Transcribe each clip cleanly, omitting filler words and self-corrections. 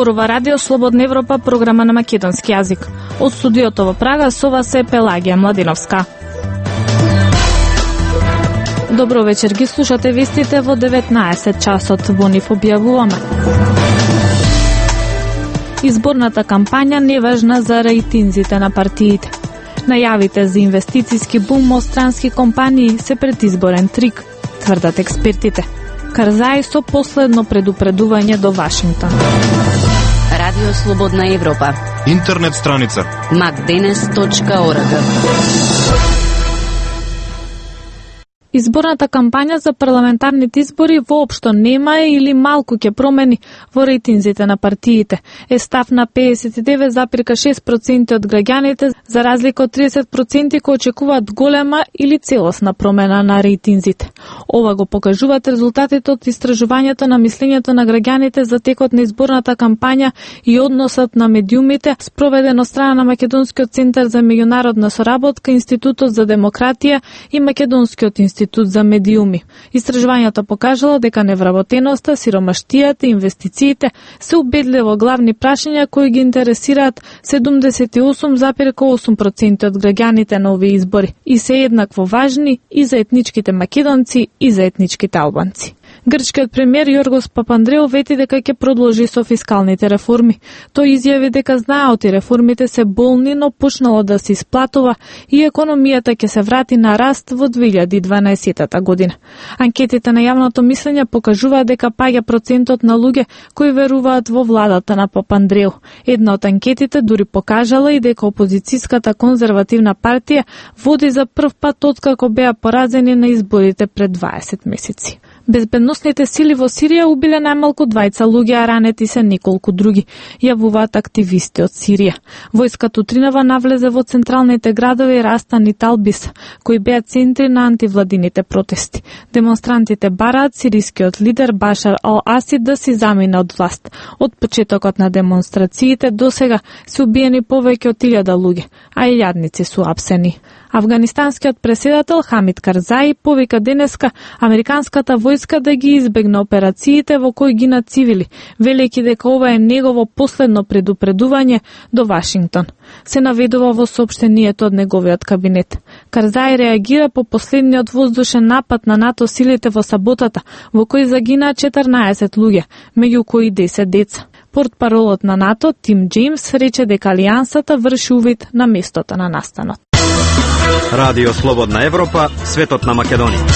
Зборува Радио Слободна Европа, програма на македонски јазик. Од студиото во Прага со вас е Пелагија Младиновска. Добро вечер, ги слушате вестите во 19 часот, во нив објавуваме. Изборната кампања не важна за рейтинзите на партиите. Најавите за инвестициски бум од странски компании се предизборен трик, тврдат експертите. Карзај со последно предупредување до Вашингтон. Радио Слободна Европа. Интернет страница macdenes.org. Изборната кампања за парламентарните избори воопшто нема или малку ќе промени во рейтинзите на партиите. Е став на 59,6% од граѓаните, за разлика од 30% кои очекуваат голема или целосна промена на рейтинзите. Ова го покажуваат резултатите од истражувањето на мислењето на граѓаните за текот на изборната кампања и односот на медиумите, спроведено страна на Македонскиот центар за меѓународна соработка, Институтот за демократија и Македонскиот институт за медиуми. Истражувањето покажало дека невработеноста, сиромаштијата и инвестициите се убедливо главни прашања кои ги интересираат 78,8% од граѓаните на овие избори и се еднакво важни и за етничките македонци и за етничките албанци. Грчкиот премиер Јоргос Папандреу вети дека ќе продолжи со фискалните реформи. Тој изјави дека знаат и реформите се болни, но почнало да се исплатува и економијата ќе се врати на раст во 2012 година. Анкетите на јавното мислење покажуваат дека паѓа процентот на луѓе кои веруваат во владата на Папандреу. Една од анкетите дури покажала и дека опозицијската конзервативна партија води за прв пат откако беа поразени на изборите пред 20 месеци. Безбедносните сили во Сирија убиле најмалку 2 луѓе, а ранети се неколку други, јавуваат активисти од Сирија. Војската утринава навлезе во централните градови Растан и Талбис, кои беа центри на антивладините протести. Демонстрантите бараат сирискиот лидер Башар ал-Асид да си замине од власт. Од почетокот на демонстрациите досега се убиени повеќе од 1000 луѓе, а илјадници су апсени. Афганистанскиот преседател Хамид Карзај повика денеска американската војска да ги избегне операциите во кои гинат цивили, велејќи дека ова е негово последно предупредување до Вашингтон. Се наведува во соопштението од неговиот кабинет. Карзај реагира по последниот воздушен напад на НАТО силите во саботата, во кој загинаа 14 луѓе, меѓу кои 10 деца. Портпаролот на НАТО Тим Џејмс рече дека алијансата врши увид на местото на настанот. Радио Слободна Европа, светот на Македонија.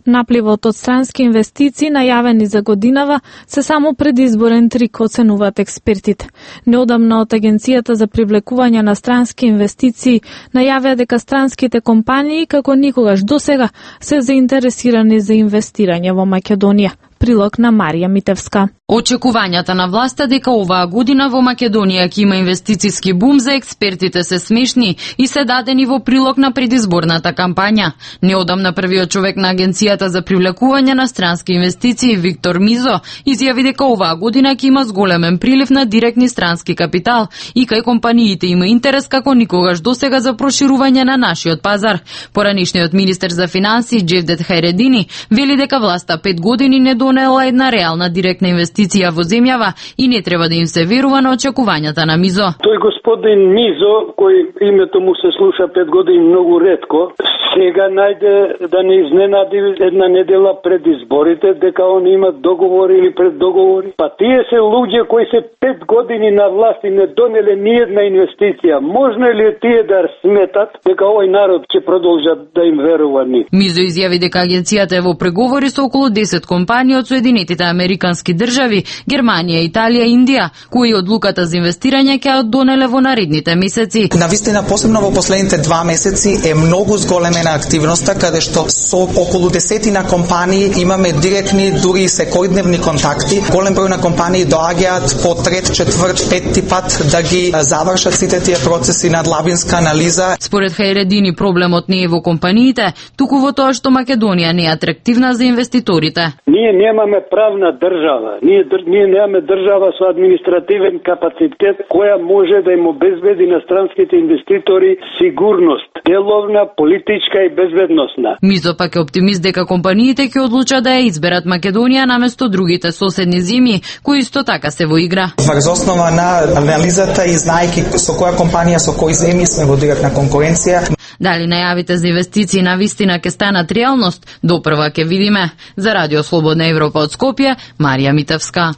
Напливот од странски инвестиции најавени за годинава се само предизборен трик, оценуваат експертите. Неодамна од Агенцијата за привлекување на странски инвестиции најавија дека странските компании како никогаш досега се заинтересирани за инвестирање во Македонија. Прилог на Марија Митевска. Очекувањата на власта дека оваа година во Македонија ќе има инвестициски бум за експертите се смешни и се дадени во прилог на предизборната кампања. Неодамна првиот човек на Агенцијата за привлекување на странски инвестиции Виктор Мизо изјави дека оваа година ќе има зголемен прилив на директни странски капитал и кај компаниите има интерес како никогаш досега за проширување на нашиот пазар. Поранишниот министер за финансии Џевдет Хајредини вели дека власта 5 години не донела една реална директна инвестиција во земјава и не треба да им се верува на очекувањата на Мизо. Тој господин Мизо, кој името му се слуша 5 години многу ретко, сега најде да не изненади една недела пред изборите дека он има договори или преддоговори. Па тие се луѓе кои се 5 години на власт и не донеле ни една инвестиција. Можно ли тие да сметат дека овој народ ќе продолжат да им верува ни? Мизо изјави дека агенцијата е во преговори со околу 10 компании од Соединетите Американски држави, Германија, Италија и Индија, кои одлуката за инвестирање ќе ја донеле во наредните месеци. Навистина, посебно во последните 2 месеци е многу зголемена активноста, каде што со околу 10 компании имаме директни, дури и секојдневни контакти. Голем број на компании доаѓаат по 3, 4, 5 пат да ги завршат сите тие процеси на длабинска анализа. Според Хајредини проблемот не е во компаниите, туку во тоа што Македонија не е атрактивна за инвеститорите. Ние немаме правна држава. Ние немаме држава со административен капацитет која може да им обезбеди на странските инвеститори сигурност, деловна, политичка безризичка и безбедносна. Мизо пак е оптимист дека компаниите ќе одлучат да ја изберат Македонија наместо другите соседни земји, кои исто така се во игра. Врз основа на анализата и знаеки со која компанија, со кои земји сме во директна конкуренција. Дали најавите за инвестиции на вистина ќе станат реалност, допрва ќе видиме. За Радио Слободна Европа од Скопје, Марија Митевска.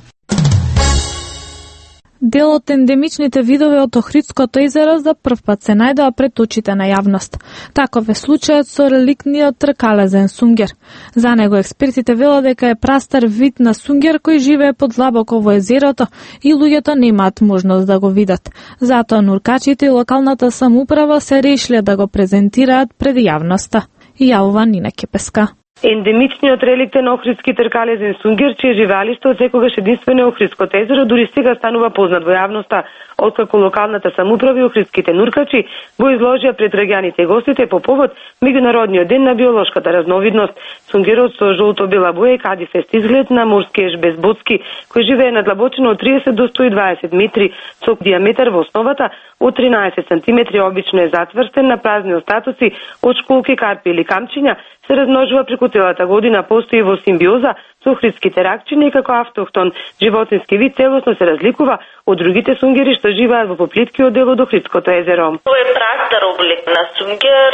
Дел од ендемичните видови од Охридското езеро за прв пат се најдоа пред очите на јавност. Таков е случајот со реликтниот тркалезен сунгер. За него експертите велат дека е прастар вид на сунгер кој живее подлабоко во езерото и луѓето немаат можност да го видат. Затоа нуркачите и локалната самоуправа се решиле да го презентираат пред јавноста. И јавува Нина Кепеска. Ендемичниот реликтен охридски тркалезен сунгер, чие живеалиште од секогаш единствено е Охридското езеро, дури сега станува познат во јавноста, откако локалната самоуправа и охридските нуркачи го изложија пред граѓаните и гостите по повод Меѓународниот ден на биолошката разновидност. Сунгерот со жолто-бела боја и кадифест изглед на морски еж безбодски, кој живее на длабочина од 30 до 120 метри, со диаметар во основата од 13 сантиметри, обично е затврстен на празни остатоци од школки, карпи или камчиња, се размножува преку целата година, постои во симбиоза со охридските ракчиња и како автохтон животински вид целосно се разликува од другите сунгери што живеат во поплиткиот дел од Охридското езеро. Тоа е прастар облик на сунгер,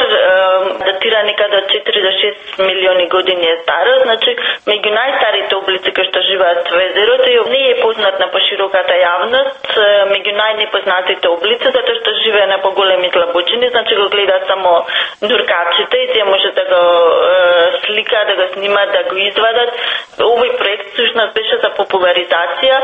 датира некаде од 4 до 6 милиони години е стар, значи меѓу најстарите облици кои што живеат во езерото и не е познат на пошироката јавност, меѓу најнепознатите облици затоа што живее на поголеми длабочини, значи го гледаат само нуркачите и тие може да го сликаат, да го снимаат, да го извадат. Овој проект всушност беше за популаризација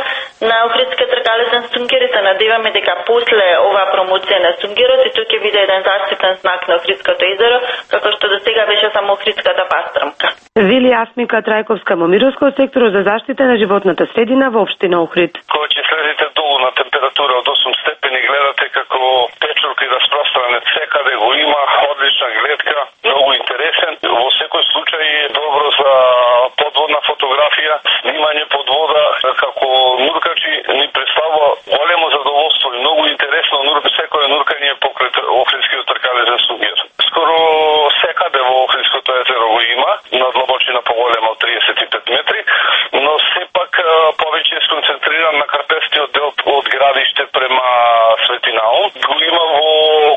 на охридскиот тркалезен сунгер и се надеваме дека после оваа промоција на сунгерот и тој ќе биде еден заштитен знак на Охридското езеро, како што до сега беше само охридската пастрмка. Вели Асмика Трајковска-Момировска од секторот за заштита на животната средина во општина Охрид. Кога ќе слезете долу на температура од 8 степени, гледате како печурки распространет секаде го има, одлична гледка, многу интересен. Во секој случај е добро за подводна фотографија, снимање под вода, како нуркачи ни представува големо задоволство и многу интересно секој нуркање покрај Охридскиот тркалезен сунгер. Скоро секаде во Охридското езеро го има, на длабочина поголема од 35 метри, но сепак повеќе е сконцентриран на карпестиот дел од градиште према Свети Наум. Го има во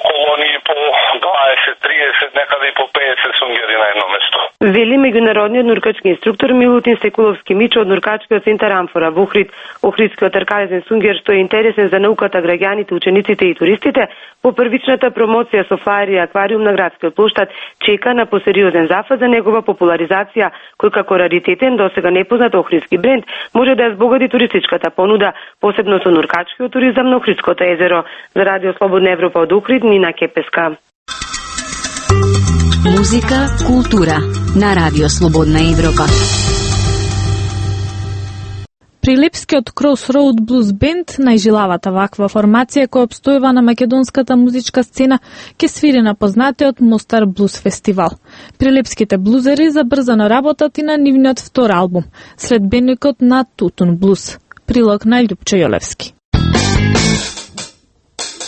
колонии по 20, 30, некаде и по 50 сунгери на едно место. Вели меѓународниот нуркачки инструктор Милутин Секуловски Мичо од нуркачкиот центар Амфора во Охрид. Охридскиот тркалезен сунгер што е интересен за науката, граѓаните, учениците и туристите, по првичната промоција со флаер и аквариум на градскиот плоштад чека на посериозен зафат за негова популаризација, кој како раритетен, досега непознат охридски бренд, може да ја збогади туристичката понуда, посебно со нуркачкиот туризам на Охридското езеро. За Радио Слободна Европа од Охрид, Нина Кепеска. Музика, култура на Радио Слободна Европа. Прилепскиот Crossroad Blues Band, најжилавата ваква формација која обстојува на македонската музичка сцена, ќе свири на познатиот Мостар Блуз фестивал. Прилепските блузери забрзано работат и на нивниот втор албум, следбеникот на Тутун Блуз. Прилог на Љупчо Јолевски.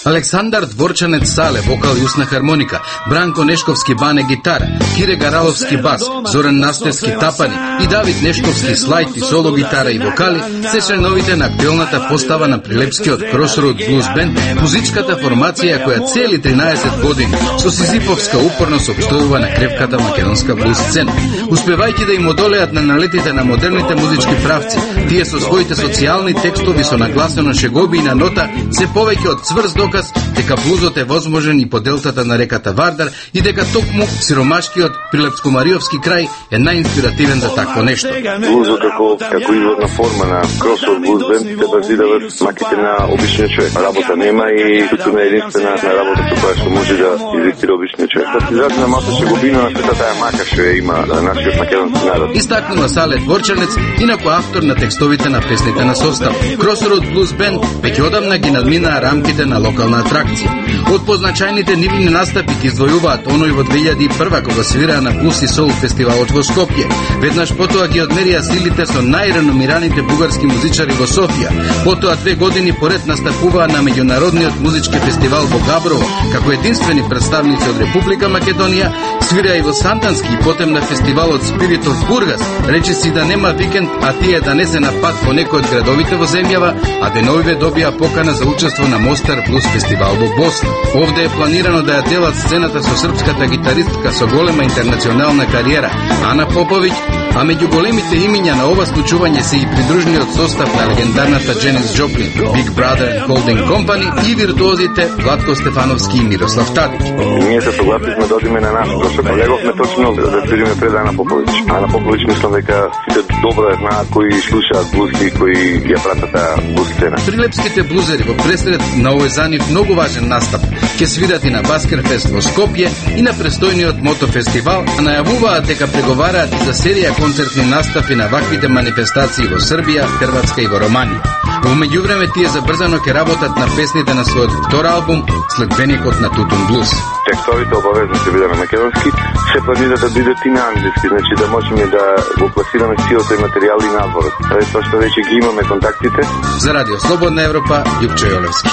Александар Дворчанец Сале, вокал и усна хармоника, Бранко Нешковски бане гитара, Кире Гараловски бас, Зоран Настевски тапани и Давид Нешковски слайд и соло гитара и вокали се членовите на актуелната постава на Прилепскиот Crossroad Blues Band, музичката формација која цели 13 години со сизифовска упорност обстојува на кревката македонска блуз сцена. Успевајќи да им одолеат на налетите на модерните музички правци, тие со своите социјални текстови со нагласено шегови и на нота се повеќе од цврст доказ дека блузот е возможен и по делтата на реката Вардар и дека токму сиромашкиот Прилепско-Мариовски крај е најинспиративен за такво нешто. Блузот како изводна форма на Crossroad Blues Band се базирава маките на обичниот човек. Работа нема и туку не е единствена на работа со која што може да изистира обичниот човек. Да се изрази на малку шеговина на сета таа мака што има на нашиот македонски народ. Истакнува Сале Дворчанец, инаку автор на текстовите на песните на состав. Crossroad Blues Band веќе одамна ги надминаа рамките на локална атракција. Од позначајните нивни настапи ги издвојуваат оној во 2001 кога свираа на Блуз и Соул фестивалот во Скопје. Веднаш потоа ги одмерија силите со најреномираните бугарски музичари во Софија. Потоа 2 години поред настапуваа на меѓународниот музички фестивал во Габрово како единствени представници од Република Македонија, Свира и во Сандански и потем на фестивалот Spirit of Burgas. Рече си да нема викенд, а тие да не се на пат по некој од градовите во земјава, а деновиве добија покана за учество на Мостар Блуз фестивал во Босна. Овде е планирано да ја делат сцената со српската гитаристка со голема интернационална кариера Ана Поповиќ, а меѓу големите имиња на ова случување се и придружниот состав на легендарната Дженис Джоплин, Big Brother Holding Company и виртуозите Владко Стефановски и Мирослав Тадич. Ние се согласивме да одиме на нас, зашто леговме точно да свириме пред Ана Поповиќ. Ана Поповиќ мислам дека сите добро ја знаат кои слушаат блузки, кои ја пратат таа блуз сцена. Прилепските блузери во пресред на овој за нив многу важен настап ќе свират и на Баскерфест во Скопје и на престојниот мотофестивал, а најавуваат дека преговараат и за серија концертни настапи на ваквите манифестации во Србија, Хрватска и во Романија. Во меѓувреме тие забрзано ќе работат на песните на својот втор албум Следбеникот на Тутун Блуз. Текстовите обавезно ќе биде на македонски, се планира да бидат и на англиски, значи да можеме да го пласираме силот и материјал и надвор. Тоа што веќе ги имаме контактите. За Радио Слободна Европа, Јупче Јолевски.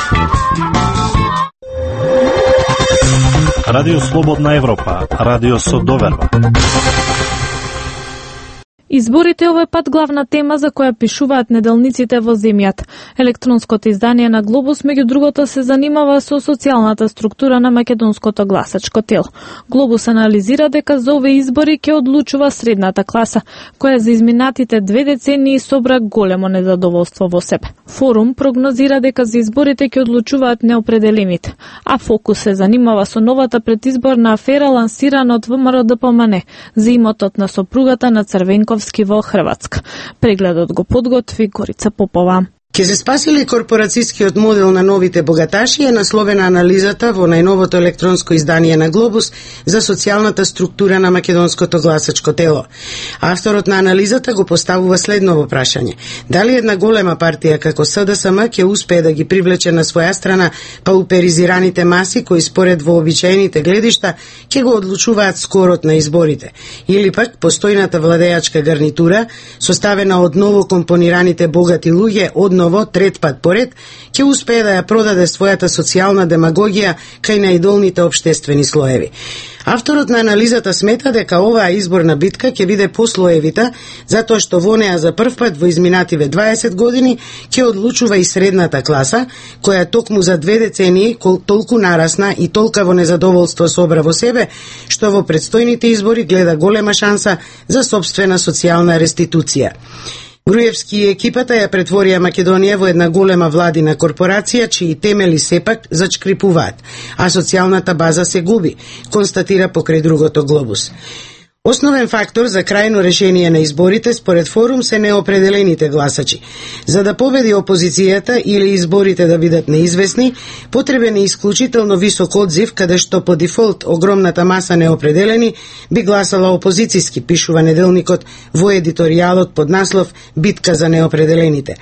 Радио Слободна Европа, радио со доверба. Изборите овој пат главна тема за која пишуваат неделниците во земјата. Електронското издание на Глобус меѓу другото се занимава со социјалната структура на македонското гласачко тело. Глобус анализира дека за овие избори ќе одлучува средната класа, која за изминатите 2 децении собра големо незадоволство во себе. Форум прогнозира дека за изборите ќе одлучуваат неопределените, а Фокус се занимава со новата предизборна афера лансирана од ВМРО-ДПМН за имотот на сопругата на Црвенков во Хрватска. Прегледот го подготви Горица Попова. Ке се спаси ли корпорацијскиот модел на новите богаташи е насловена анализата во најновото електронско издание на Глобус за социјалната структура на македонското гласачко тело. Авторот на анализата го поставува следново прашање: дали една голема партија како СДСМ ќе успее да ги привлече на своја страна пауперизираните маси кои според вообичаените гледишта ќе го одлучуваат скорот на изборите, или пак постојната владеачка гарнитура составена од ново компонираните богати луѓе одново трет пат поред ќе успее да ја продаде својата социјална демагогија кај најдолните општествени слоеви. Авторот на анализата смета дека оваа изборна битка ќе биде послоевита, затоа што во неа за прв пат во изминативе 20 години ќе одлучува и средната класа, која токму за 2 децении толку нарасна и толкаво незадоволство собра во себе, што во предстојните избори гледа голема шанса за сопствена социјална реституција. Груевски и екипата ја претворија Македонија во една голема владина корпорација, чии темели сепак зачкрипуваат, а социјалната база се губи, констатира покрај другото Глобус. Основен фактор за крајно решение на изборите според Форум се неопределените гласачи. За да победи опозицијата или изборите да бидат неизвестни, потребен е исклучително висок одзив, каде што по дефолт огромната маса неопределени би гласала опозицијски, пишува неделникот во едиторијалот под наслов «Битка за неопределените».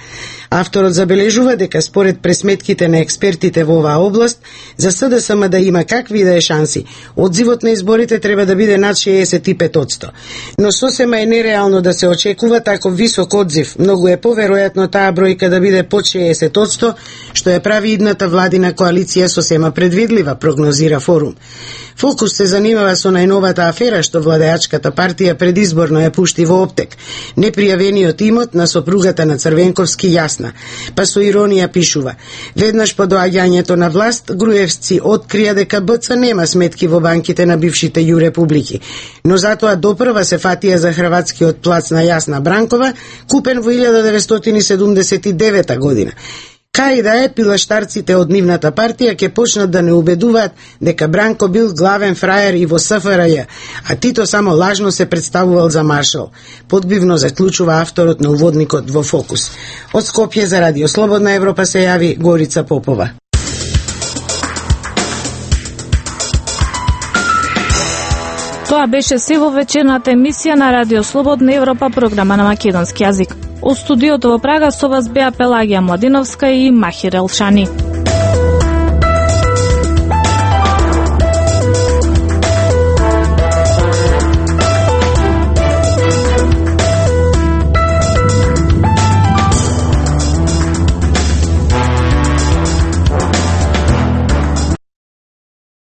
Авторот забележува дека според пресметките на експертите во оваа област, за СДСМ да има какви да е шанси, одзивот на изборите треба да биде над 65%. Но сосема е нереално да се очекува таков висок одзив. Многу е поверојатно таа бројка да биде под 60%, што ја прави идната владина коалиција сосема предвидлива, прогнозира Форум. Фокус се занимава со најновата афера што владеачката партија предизборно ја пушти во оптек. Непријавениот имот на сопругата на Црвенковски јасна, па со иронија пишува: веднаш по доаѓањето на власт, Груевци открија дека БЦ нема сметки во банките на бившите ју републики, но затоа допрва се фатија за хрватскиот плац на Јасна Бранкова, купен во 1979 година. Кај да е, пилаштарците од нивната партија ќе почнат да не убедуваат дека Бранко бил главен фраер и во СФРЈ, а Тито само лажно се представувал за маршал. Подбивно заклучува авторот на уводникот во Фокус. Од Скопје за Радио Слободна Европа се јави Горица Попова. Тоа беше се во вечерната емисија на Радио Слободна Европа, програма на македонски јазик. Од студиото во Прага со вас беа Пелагија Младиновска и Махир Елшани.